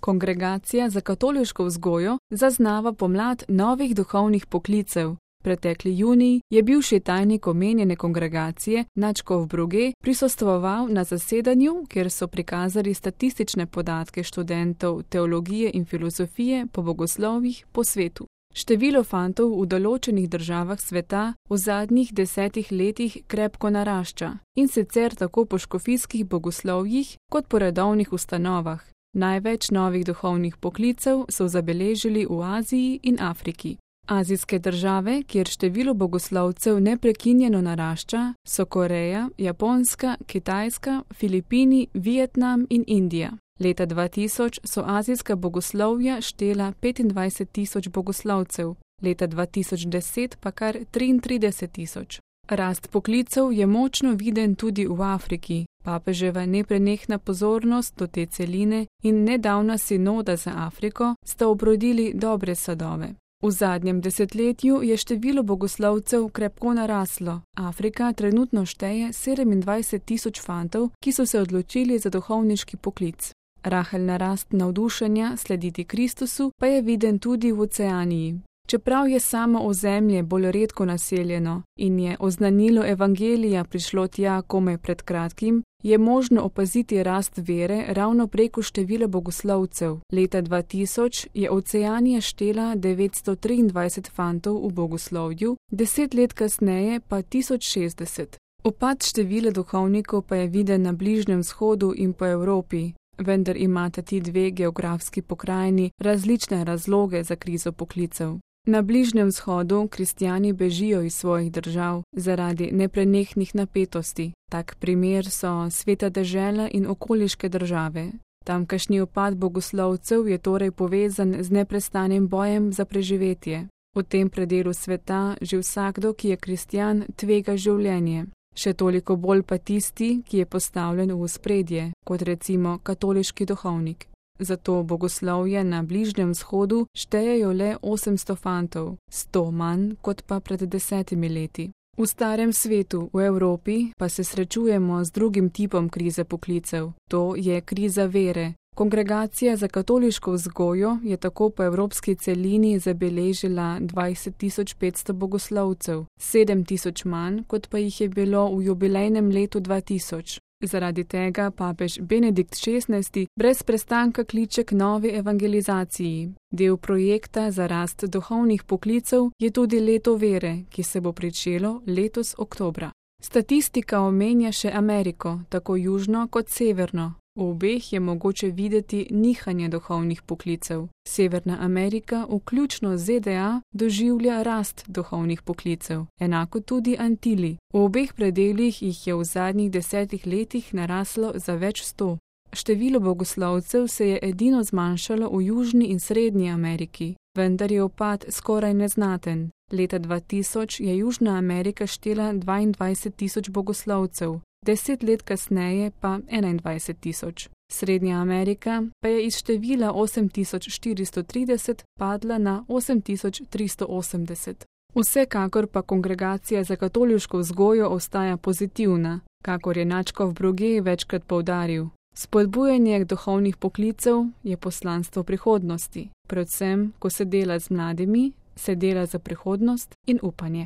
Kongregacija za katoliško vzgojo zaznava pomlad novih duhovnih poklicev. Pretekli junij je bivši tajnik omenjene kongregacije nadškof Brugge prisostvoval na zasedanju, kjer so prikazali statistične podatke študentov teologije in filozofije po bogoslovjih po svetu. Število fantov v določenih državah sveta v zadnjih 10 letih krepko narašča, in sicer tako po škofijskih bogoslovjih kot po redovnih ustanovah. Največ novih duhovnih poklicev so zabeležili v Aziji in Afriki. Azijske države, kjer število bogoslovcev neprekinjeno narašča, so Koreja, Japonska, Kitajska, Filipini, Vietnam in Indija. Leta 2000 so azijska bogoslovja štela 25.000 bogoslovcev, leta 2010 pa kar 33.000. Rast poklicev je močno viden tudi v Afriki. Papeževa neprenehna pozornost do te celine in nedavna sinoda za Afriko sta obrodili dobre sadove. V zadnjem desetletju je število bogoslovcev krepko naraslo. Afrika trenutno šteje 27.000 fantov, ki so se odločili za duhovniški poklic. Rahel narast navdušenja slediti Kristusu pa je viden tudi v Oceaniji. Čeprav je samo ozemlje bolj redko naseljeno in je oznanilo evangelija prišlo tja komaj pred kratkim, je možno opaziti rast vere ravno preko števila bogoslovcev. Leta 2000 je Oceanija štela 923 fantov v bogoslovju, 10 let kasneje pa 1060. Upad števila duhovnikov pa je viden na Bližnjem vzhodu in po Evropi, vendar imata ti dve geografski pokrajini različne razloge za krizo poklicev. Na Bližnjem vzhodu kristjani bežijo iz svojih držav zaradi neprenehnih napetosti. Tak primer so Sveta dežela in okoliške države. Tamkajšnji upad bogoslovcev je torej povezan z neprestanim bojem za preživetje. V tem predelu sveta že vsakdo, ki je kristjan, tvega življenje. Še toliko bolj pa tisti, ki je postavljen v ospredje, kot recimo katoliški duhovnik. Zato bogoslovje na Bližnjem vzhodu štejejo le 800 fantov, 100 manj kot pa pred 10 leti. V starem svetu, v Evropi, pa se srečujemo z drugim tipom krize poklicev. To je kriza vere. Kongregacija za katoliško vzgojo je tako po evropski celini zabeležila 20.500 bogoslovcev, 7.000 manj, kot pa jih je bilo v jubilejnem letu 2000. Zaradi tega papež Benedikt XVI brez prestanka kliče k novi evangelizaciji. Del projekta za rast duhovnih poklicev je tudi leto vere, ki se bo pričelo letos oktobra. Statistika omenja še Ameriko, tako južno kot severno. V obeh je mogoče videti nihanje duhovnih poklicev. Severna Amerika, vključno z ZDA, doživlja rast duhovnih poklicev, enako tudi Antili. V obeh predelih jih je v zadnjih 10 letih naraslo za več 100. Število bogoslovcev se je edino zmanjšalo v Južni in Srednji Ameriki, vendar je upad skoraj neznaten. Leta 2000 je Južna Amerika štela 22.000 bogoslovcev, 10 let kasneje pa 21.000. Srednja Amerika pa je iz števila 8.430 padla na 8.380. Vsekakor pa kongregacija za katoliško vzgojo ostaja pozitivna, kakor je nadškof Brugge večkrat poudaril. Spodbujanje duhovnih poklicev je poslanstvo prihodnosti. Predvsem, ko se dela z mladimi, se dela za prihodnost in upanje.